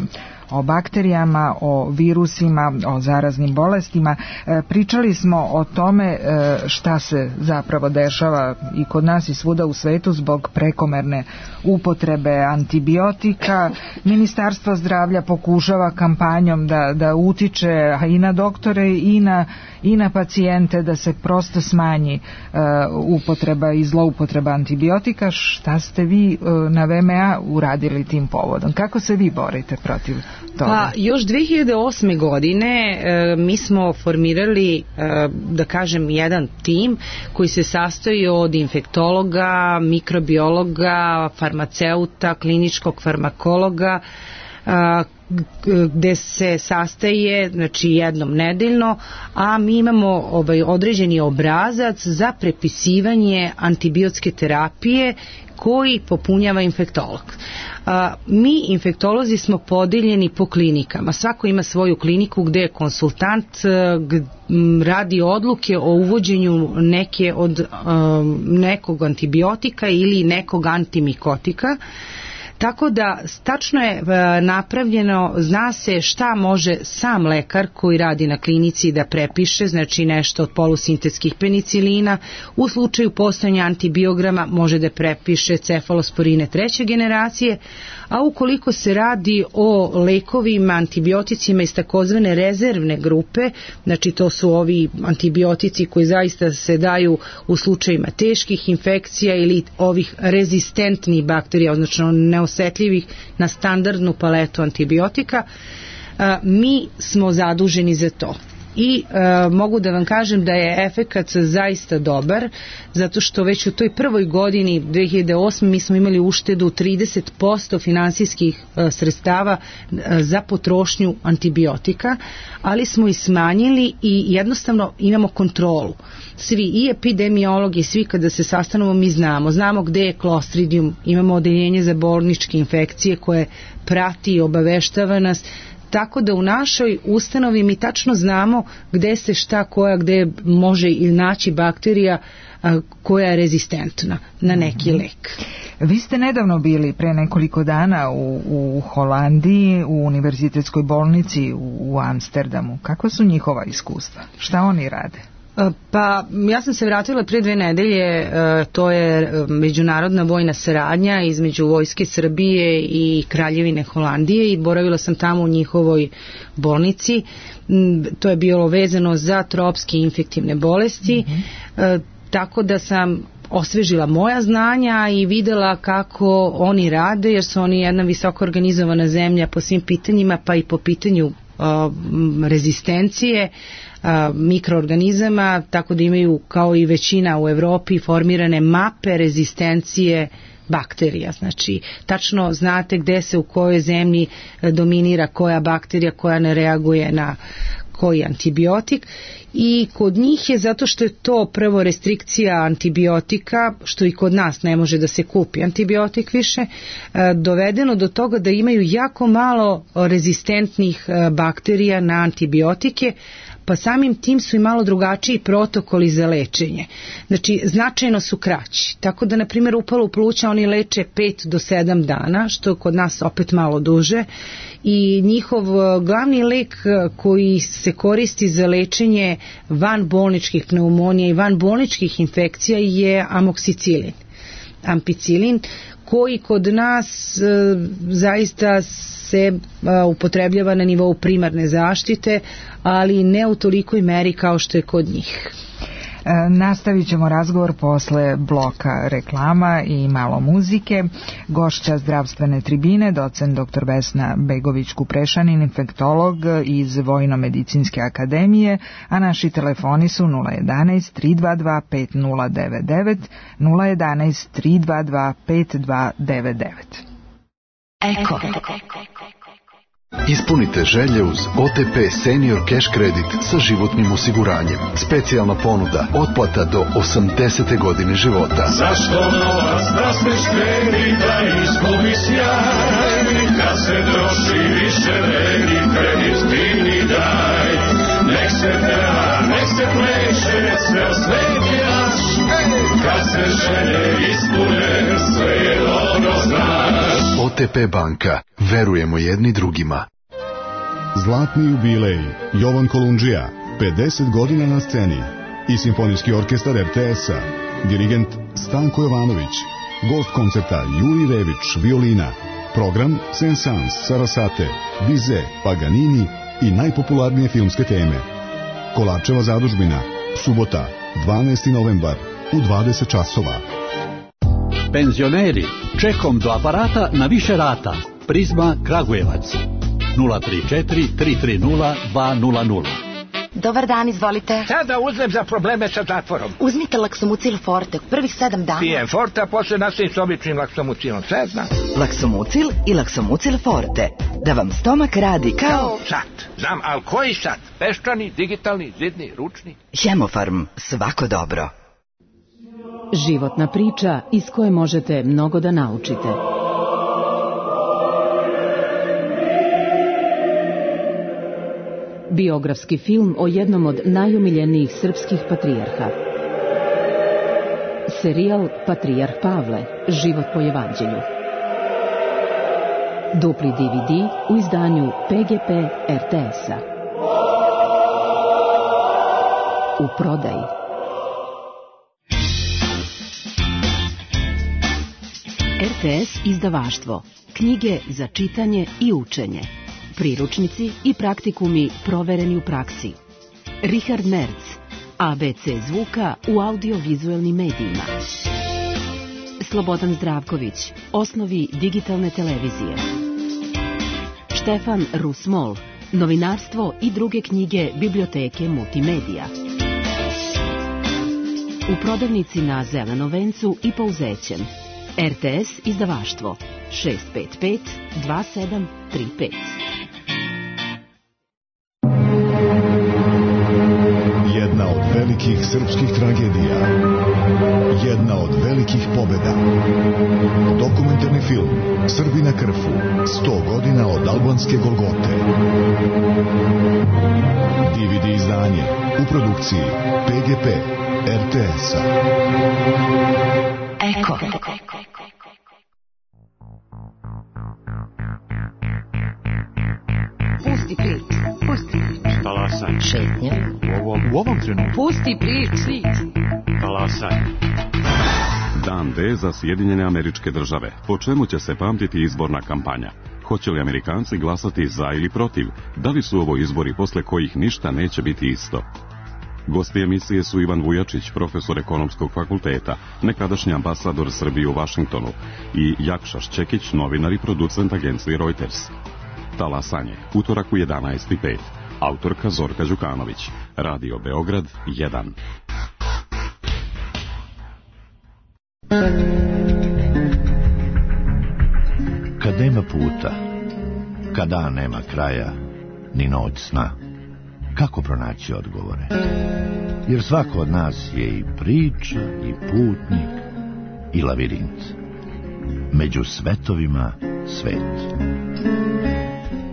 o bakterijama, o virusima, o zaraznim bolestima. E, pričali smo o tome e, šta se zapravo dešava i kod nas i svuda u svetu zbog prekomerne upotrebe antibiotika. Ministarstvo zdravlja pokušava kampanjom da, da utiče i na doktore i na, i na pacijente da se prosto smanji e, upotreba i zloupotreba antibiotika. Šta ste vi e, na V M A uradili tim povodom? Kako se vi borite protiv toga? Pa još dve hiljade osme godine e, mi smo formirali, e, da kažem, jedan tim koji se sastoji od infektologa, mikrobiologa, farmaceuta, kliničkog farmakologa, gde se sastaje, znači jednom nedeljno, a mi imamo ovaj određeni obrazac za prepisivanje antibiotske terapije koji popunjava infektolog. A, mi infektolozi smo podeljeni po klinikama. Svako ima svoju kliniku gde je konsultant gde radi odluke o uvođenju neke od um, nekog antibiotika ili nekog antimikotika. Tako da tačno je napravljeno, zna se šta može sam lekar koji radi na klinici da prepiše, znači nešto od polusintetskih penicilina. U slučaju postojanja antibiograma može da prepiše cefalosporine treće generacije, a ukoliko se radi o lekovima, antibioticima iz takozvane rezervne grupe, znači to su ovi antibiotici koji zaista se daju u slučajima teških infekcija ili ovih rezistentnih bakterija, odnosno neosetljivih na standardnu paletu antibiotika, mi smo zaduženi za to. I e, mogu da vam kažem da je efekat zaista dobar, zato što već u toj prvoj godini dve hiljade osme mi smo imali uštedu trideset posto finansijskih e, sredstava e, za potrošnju antibiotika, ali smo i smanjili i jednostavno imamo kontrolu. Svi, i epidemiologi, svi kada se sastanemo mi znamo, znamo gde je Clostridium, imamo odeljenje za bolničke infekcije koje prati i obaveštava nas, tako da u našoj ustanovi mi tačno znamo gde se šta koja, gde može i naći bakterija a, koja je rezistentna na neki lek. Vi ste nedavno bili pre nekoliko dana u, u Holandiji, u univerzitetskoj bolnici u, u Amsterdamu. Kakva su njihova iskustva? Šta oni rade? Pa ja sam se vratila pre dve nedelje, to je međunarodna vojna saradnja između Vojske Srbije i Kraljevine Holandije i boravila sam tamo u njihovoj bolnici. To je bilo vezano za tropske infektivne bolesti, mm-hmm. tako da sam osvežila moja znanja i videla kako oni rade, jer su oni jedna visoko organizovana zemlja po svim pitanjima, pa i po pitanju rezistencije mikroorganizama, tako da imaju kao i većina u Evropi formirane mape rezistencije bakterija. Znači, tačno znate gde se u kojoj zemlji dominira koja bakterija koja ne reaguje na koji antibiotik, i kod njih je, zato što je to prvo restrikcija antibiotika, što i kod nas ne može da se kupi antibiotik više, dovedeno do toga da imaju jako malo rezistentnih bakterija na antibiotike, pa samim tim su i malo drugačiji protokoli za lečenje. Znači, značajno su kraći. Tako da, na primjer, upalu pluća oni leče pet do sedam dana, što kod nas opet malo duže, i njihov glavni lek koji se koristi za lečenje vanbolničkih pneumonija i vanbolničkih infekcija je amoksicilin. Ampicilin, koji kod nas e, zaista se e, upotrebljava na nivou primarne zaštite, ali ne u tolikoj meri kao što je kod njih. E, nastavit ćemo razgovor posle bloka reklama i malo muzike. Gošća zdravstvene tribine, docent doktor Vesna Begović-Kuprešanin, infektolog iz Vojno-medicinske akademije, a naši telefoni su nula jedanaest tri dva dva pet nula devet devet, nula jedanaest tri dva dva pet dva devet devet. Eko. Ispunite želje uz O T P Senior Cash Credit sa životnim osiguranjem. Specijalna ponuda, otplata do osamdesete godine života. Zašto novac da smeš kredita izgubi sjaj? Kad se troši više vredi, kredit divni daj. Nek se peva, nek se pleše, sve osveti naš. Kad se želje ispune, sve je dobro znaš. O T P banka. Verujemo jedni drugima. Zlatni jubilej Jovan Kolundžija, pedeset godina na sceni, i Simfonijski orkestar R T S-a, dirigent Stanko Jovanović, gost koncerta Juri Rević, violina, program Saint-Saëns, Sarasate, Bizet, Paganini i najpopularnije filmske teme. Kolarčeva zadužbina, subota, dvanaesti novembar, u dvadeset časova. Penzioneri, čekom do aparata na više rata. Prizma Kragujevac nula tri četiri tri tri nula dva nula nula. Dobar dan, izvolite. Šta da uzmem za probleme sa zatvorom? Uzmite Laksomucil Forte, prvih sedam dana. Pijem Forte, a posle nastavim s običnim Laksomucilom, sve znam. Laksomucil i Laksomucil Forte, da vam stomak radi kao... Sat, znam, ali koji sat? Peščani, digitalni, zidni, ručni? Hemofarm, svako dobro. Životna priča iz koje možete mnogo da naučite. Biografski film o jednom od najomiljenijih srpskih patrijarha. Serijal Patrijarh Pavle, život po evanđelju. Dupli D V D u izdanju P G P R T S-a. U prodaji. R T S izdavaštvo. Knjige za čitanje i učenje. Priručnici i praktikumi provereni u praksi. Richard Merz, A B C zvuka u audiovizuelnim medijima. Slobodan Zdravković, osnovi digitalne televizije. Štefan Rusmol, novinarstvo i druge knjige biblioteke Multimedija. U prodavnici na Zelenom vencu i Pouzećem. R T S izdavaštvo šest pet pet dva sedam tri pet. Jedna od velikih srpskih tragedija. Jedna od velikih pobjeda. Dokumentarni film Srbi na Krfu. sto godina od albanske Golgote. D V D izdanje u produkciji P G P R T S-a. Eko. Pusti prič, pusti prič. Talasaj. Šetnja. U ovom, u ovom trenutku. Pusti prič. Talasaj. Dan D za Sjedinjene Američke Države. Po čemu će se pamtiti izborna kampanja? Hoće li Amerikanci glasati za ili protiv? Da li su ovo izbori posle kojih ništa neće biti isto? Gosti emisije su Ivan Vujačić, profesor ekonomskog fakulteta, nekadašnji ambasador Srbije u Vašingtonu, i Jakša Šćekić, novinar i producent agencije Reuters. Talasanje, utorak u jedanaest i pet. Autorka Zorka Đukanović. Radio Beograd jedan. Kad nema puta, kad dan nema kraja, ni noć sna, kako pronaći odgovore? Jer svako od nas je i priča, i putnik, i lavirint. Među svetovima svet.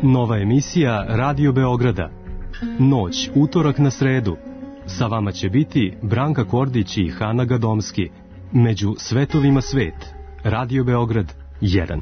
Nova emisija Radio Beograda. Noć, utorak na sredu. Sa vama će biti Branka Kordić i Hana Gadomski. Među svetovima svet. Radio Beograd jedan.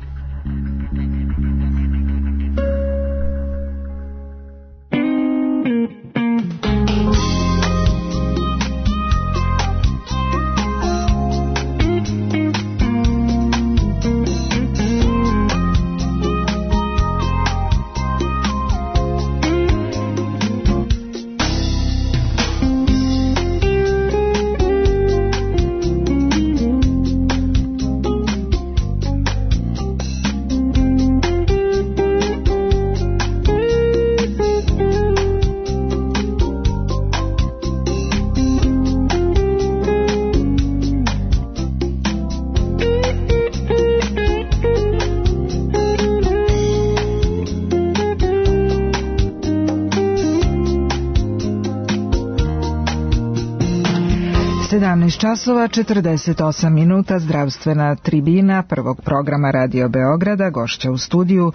sedamnaest časova četrdeset osam minuta, zdravstvena tribina prvog programa Radio Beograda. Gošća u studiju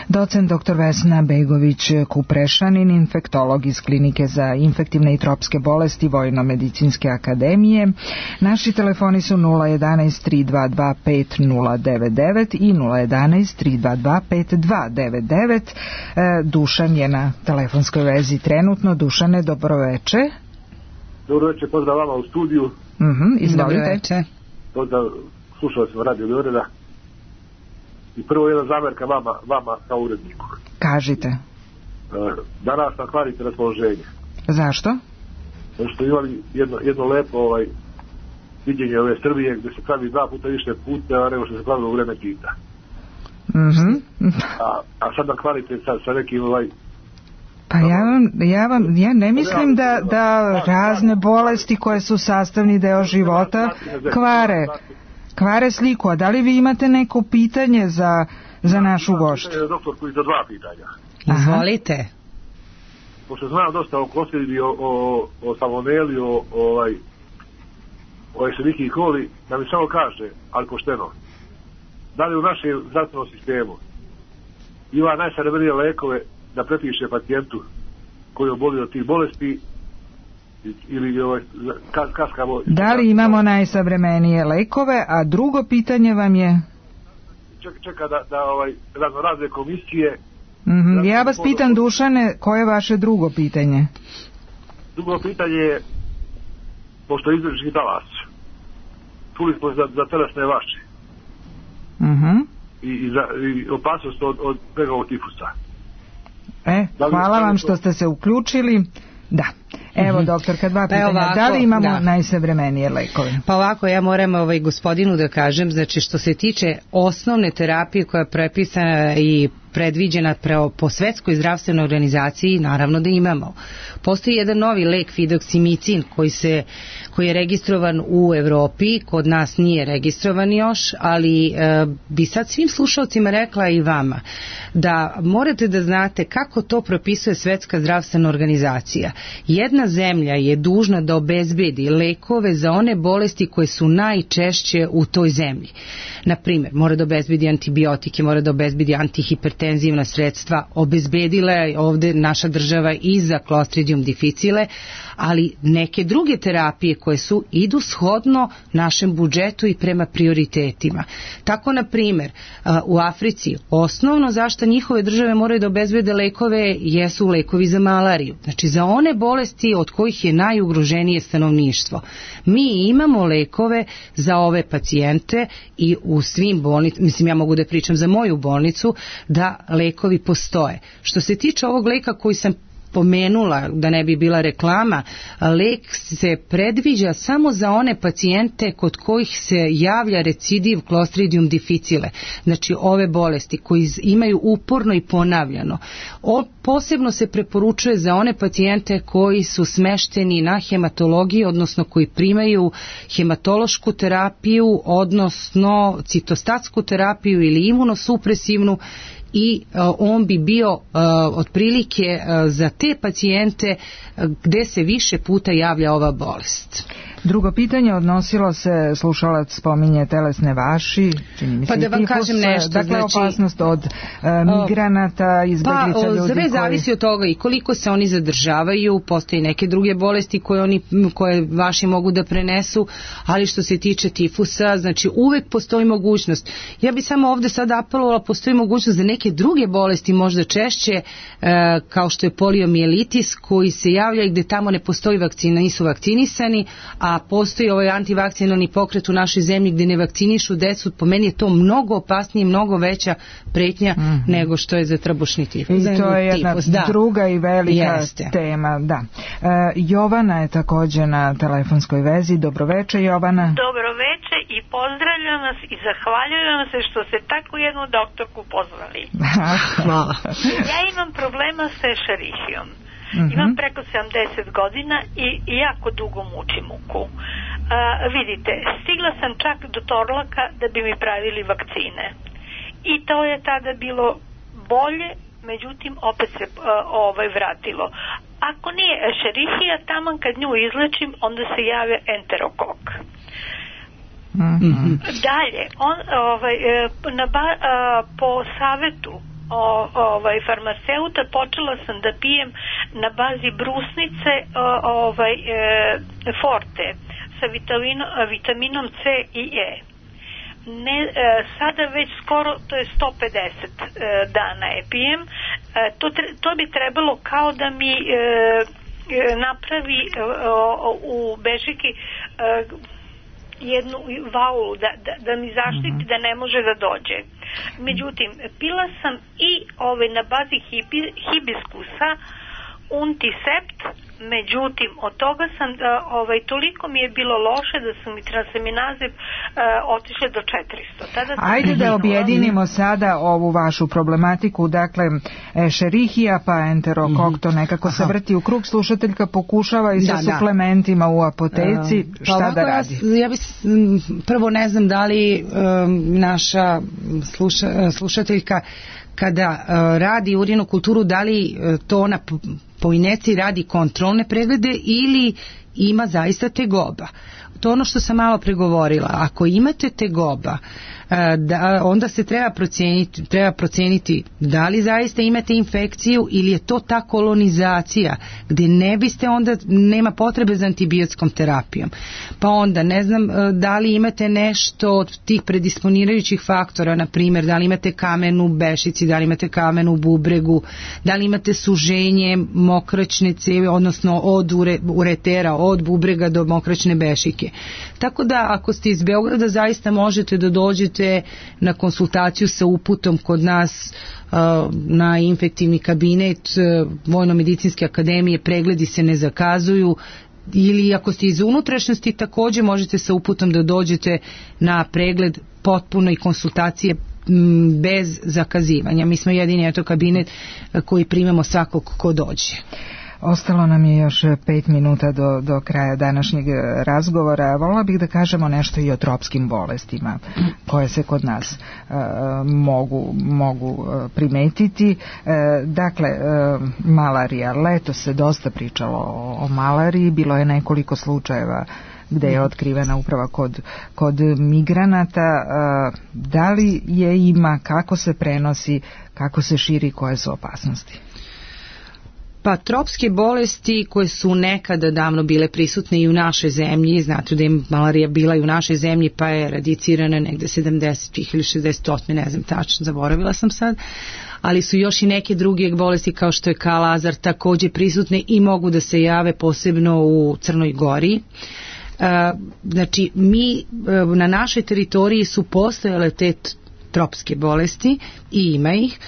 docent doktor Vesna Begović Kuprešanin, infektolog iz Klinike za infektivne i tropske bolesti Vojno-medicinske akademije. Naši telefoni su nula jedanaest tri dva dva pet nula devet devet i nula jedanaest tri dva dva pet dva devet devet. Dušan je na telefonskoj vezi trenutno. Dušane, dobroveče. Dobro večer, pozdrav vama u studiju. Mhm, izvolite. Pozdrav, slušao sam Radio Beograda. I prvo jedna zamerka vama, vama kao uredniku. Kažite. Danas nam kvarite raspoloženje. Zašto? Zato što imali jedno, jedno lepo ovaj, viđenje ove Srbije gdje se pravi dva puta više puta nego što se pravilo u vreme Tita. Mhm. a, a sad nam kvarite sa, sa nekim ovaj, Pa ja vam, ja vam, ja ne mislim da, da razne bolesti koje su sastavni deo života kvare, kvare sliku. A da li vi imate neko pitanje za, za našu gošću? Doktor, koji za dva pitanja. Izvolite. Pošto znam dosta o Klostridi, o, o, o salmoneli, o, ovaj, o Escherichia coli, da mi samo kaže, ali pošteno, da li u našem zdravstvenom sistemu ima najsavremenije lekove da prepiše pacijentu koji je obolio od tih bolesti ili ovaj, kaskamo... Da li imamo najsavremenije lekove, a drugo pitanje vam je... Čeka, čeka da, da ovaj, razno razne komisije... Mm-hmm. Ja vas pitam, Dušane, koje je vaše drugo pitanje? Drugo pitanje je, pošto je izvršni talas, čuli smo za, za telesne vaše. Mm-hmm. I, i, za, i opasnost od, od pregovog tifusa. E, hvala vam što ste se uključili. Da. Evo, mm-hmm. doktorka, dva pitanja. Ovako, da li imamo da. najsavremenije lekove? Pa ovako, ja moram ovaj gospodinu da kažem, znači što se tiče osnovne terapije koja je prepisana i predviđena po Svetskoj zdravstvenoj organizaciji, naravno da imamo. Postoji jedan novi lek fidoksimicin koji se koji je registrovan u Evropi, kod nas nije registrovan još, ali e, bi sad svim slušalcima rekla i vama da morate da znate kako to propisuje Svetska zdravstvena organizacija. Jedna zemlja je dužna da obezbedi lekove za one bolesti koje su najčešće u toj zemlji. Na primjer, mora da obezbedi antibiotike, mora da obezbedi antihipertenzivna sredstva, obezbedila je ovde naša država i za Clostridium difficile, ali neke druge terapije koje su idu shodno našem budžetu i prema prioritetima. Tako, na primjer, u Africi osnovno zašto njihove države moraju da obezbede lekove jesu lekovi za malariju. Znači, za one bolesti od kojih je najugroženije stanovništvo. Mi imamo lekove za ove pacijente i u svim bolnicama, mislim ja mogu da pričam za moju bolnicu, da lekovi postoje. Što se tiče ovog leka koji sam pomenula, da ne bi bila reklama, lek se predviđa samo za one pacijente kod kojih se javlja recidiv Clostridium difficile, znači ove bolesti koji imaju uporno i ponavljano. O, posebno se preporučuje za one pacijente koji su smešteni na hematologiji, odnosno koji primaju hematološku terapiju, odnosno citostatsku terapiju ili imunosupresivnu, i uh, on bi bio uh, otprilike uh, za te pacijente uh, gde se više puta javlja ova bolest. Drugo pitanje odnosilo se, slušalac spominje telesne vaši, čini mi se pa da vam tifus, kažem nešto, dakle znači, opasnost od uh, migranata, izbeglica pa, ljudi sve koji... zavisi od toga i koliko se oni zadržavaju, postoji neke druge bolesti koje, oni, koje vaši mogu da prenesu, ali što se tiče tifusa, znači uvek postoji mogućnost. Ja bi samo ovde sad apelovala, postoji mogućnost da neke druge bolesti možda češće, uh, kao što je poliomijelitis, koji se javlja i gde tamo ne postoji vakcina, nisu vakcinisani, a postoji ovaj antivakcinalni pokret u našoj zemlji gde ne vakcinišu decu, po meni je to mnogo opasnije, mnogo veća pretnja mm-hmm. nego što je za trbušni tifus. I to je jedna tifus, da. druga i velika Jeste. tema. Da. E, Jovana je također na telefonskoj vezi. Dobroveče, Jovana. Dobroveče i pozdravljam vas i zahvaljujem se što ste tako jednu doktorku pozvali. Hvala. Ja imam problema sa Escherichiom. Mm-hmm. Imam preko sedamdeset godina i, i jako dugo mučim muku. A, vidite, stigla sam čak do Torlaka da bi mi pravili vakcine. I to je tada bilo bolje, međutim opet se a, ovaj vratilo. Ako nije Escherichia, taman kad nju izlečim, onda se jave enterokok. Mm-hmm. Dalje, on, ovaj, na ba, a, po savetu O, ovaj farmaceuta počela sam da pijem na bazi brusnice o, ovaj e, forte sa vitamino, vitaminom C i E. Ne, e, sada već skoro to je sto pedeset e, dana je pijem. E, to, to bi trebalo kao da mi e, napravi e, o, u Bežiki e, jednu vaulu da, da, da mi zaštiti da ne može da dođe. Međutim, pila sam i ove na bazi hibi, hibiskusa Unticept međutim od toga sam uh, ovaj, toliko mi je bilo loše da su mi transaminaze uh, otišle do četiristo. Tada Ajde da objedinimo sada ovu vašu problematiku, dakle Escherichia pa enterokokto nekako se vrti u krug, slušateljka pokušava i sa da, suplementima da. u apoteci, uh, šta pa da radi? Ja, ja bi, prvo ne znam da li um, naša sluša, slušateljka kada uh, radi urinnu kulturu, da li uh, to ona po, po injekciji radi kontrolne preglede ili ima zaista tegoba. To ono što sam malo pregovorila. Ako imate tegoba, da, onda se treba procijeniti, treba procijeniti da li zaista imate infekciju ili je to ta kolonizacija gdje ne biste onda, nema potrebe za antibiotskom terapijom. Pa onda ne znam da li imate nešto od tih predisponirajućih faktora, na primjer da li imate kamen u bešici, da li imate kamen u bubregu, da li imate suženje mokraćne cevi, odnosno od ure, uretera, od bubrega do mokraćne bešike. Tako da ako ste iz Beograda zaista možete da dođete na konsultaciju sa uputom kod nas uh, na infektivni kabinet uh, Vojno-medicinske akademije, pregledi se ne zakazuju, ili ako ste iz unutrašnjosti također možete sa uputom da dođete na pregled potpuno i konsultacije m, bez zakazivanja. Mi smo jedini eto kabinet koji primamo svakog ko dođe. Ostalo nam je još pet minuta do, do kraja današnjeg razgovora. Volila bih da kažemo nešto i o tropskim bolestima koje se kod nas uh, mogu, mogu uh, primetiti. Uh, dakle, uh, malarija. Leto se dosta pričalo o, o malariji. Bilo je nekoliko slučajeva gde je otkrivena upravo kod, kod migranata. Uh, da li je ima, kako se prenosi, kako se širi, koje su opasnosti? Pa tropske bolesti koje su nekada davno bile prisutne i u našoj zemlji, znate da je malarija bila i u našoj zemlji pa je radicirana negde sedamdesetih ili šezdesetih, ne znam tačno, zaboravila sam sad, ali su još i neke druge bolesti kao što je kalazar također prisutne i mogu da se jave posebno u Crnoj Gori. Znači mi na našoj teritoriji su postojale te tropske bolesti i ima ih.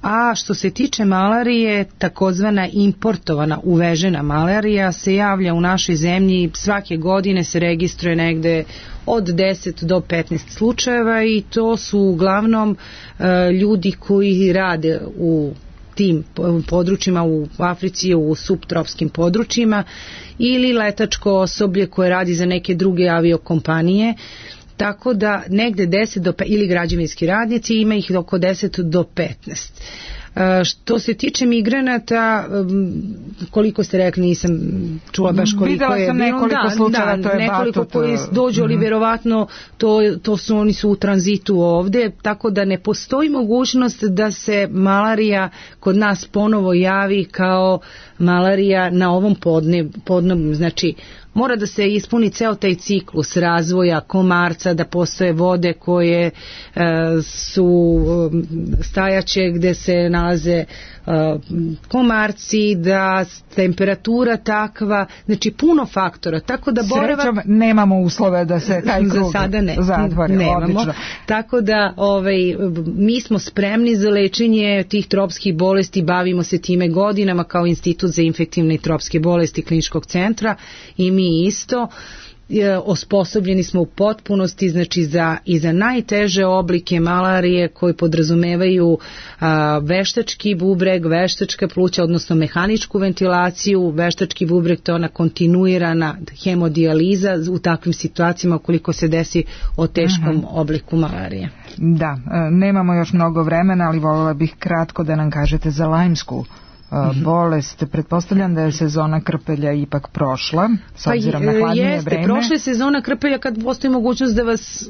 A što se tiče malarije, takozvana importovana, uvežena malarija se javlja u našoj zemlji, svake godine se registruje negde od deset do petnaest slučajeva i to su uglavnom e, ljudi koji rade u tim područjima u Africi, u subtropskim područjima ili letačko osoblje koje radi za neke druge aviokompanije. Tako da negde deset do petnaest, ili građevinski radnici, ima ih oko deset do petnaest. Što se tiče migranata, koliko ste rekli, nisam čula baš koliko Videla je. Videla sam nekoliko da, slučajeva, da, to je nekoliko batut. koji dođu, ali mm-hmm. verovatno to, to su, oni su u tranzitu ovde, tako da ne postoji mogućnost da se malarija kod nas ponovo javi kao malarija na ovom podne, podnom, znači mora da se ispuni ceo taj ciklus razvoja komarca, da postoje vode koje e, su stajaće gde se nalaze e, komarci, da temperatura takva, znači puno faktora, tako da boravak... Srećom nemamo uslove da se taj krug za sada ne, zatvori, nemamo, odlično. Tako da ovaj, mi smo spremni za lečenje tih tropskih bolesti, bavimo se time godinama kao Institut za infektivne i tropske bolesti Kliničkog centra i mi isto osposobljeni smo u potpunosti, znači za, i za najteže oblike malarije koji podrazumevaju a, veštački bubreg, veštačka pluća, odnosno mehaničku ventilaciju. Veštački bubreg to je ona kontinuirana hemodijaliza u takvim situacijama ukoliko se desi o teškom uh-huh. obliku malarije. Da, nemamo još mnogo vremena, ali voljela bih kratko da nam kažete za lajmsku bolest. Pretpostavljam da je sezona krpelja ipak prošla, s obzirom pa, na hladnije jeste, vreme. Prošla je sezona krpelja kad postoji mogućnost da vas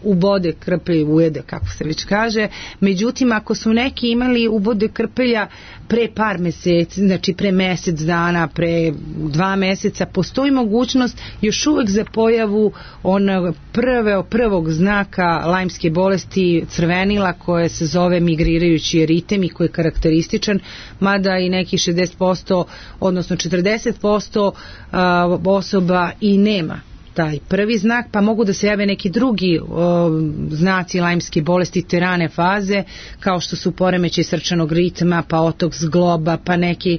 ubode krpelj, ujede, kako se već kaže. Međutim, ako su neki imali ubode krpelja pre par meseci, znači pre mesec dana, pre dva meseca, postoji mogućnost još uvek za pojavu onog prve, prvog znaka lajmske bolesti, crvenila, koje se zove migrirajući eritem i koji je karakterističan, mada i neki šezdeset posto, odnosno četrdeset posto osoba i nema taj prvi znak, pa mogu da se jave neki drugi o, znaci lajmske bolesti te rane faze, kao što su poremećaj srčanog ritma, pa otok zgloba, pa neki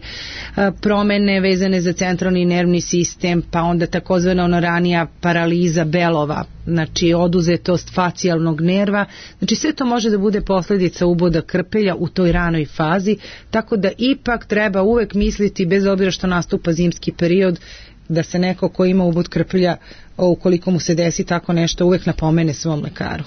a, promene vezane za centralni nervni sistem, pa onda takozvana ona ranija paraliza belova, znači oduzetost facijalnog nerva, znači sve to može da bude posljedica uboda krpelja u toj ranoj fazi, tako da ipak treba uvek misliti, bez obzira što nastupa zimski period, da se neko ko ima ubod krpelja, ukoliko mu se desi tako nešto, uvek napomene svom lekaru.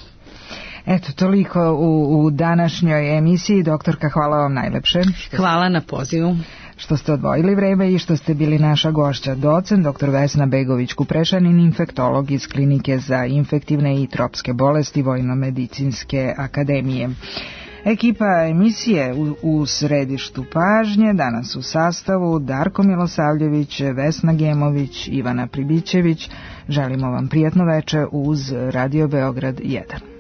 Eto, toliko u, u današnjoj emisiji. Doktorka, hvala vam najlepše. Hvala na pozivu. Što ste odvojili vreme i što ste bili naša gošća. Docent doktor Vesna Begović-Kuprešanin, infektolog iz Klinike za infektivne i tropske bolesti Vojno-medicinske akademije. Ekipa emisije u, u središtu pažnje danas u sastavu Darko Milosavljević, Vesna Gemović, Ivana Pribićević. Želimo vam prijatno veče uz Radio Beograd jedan.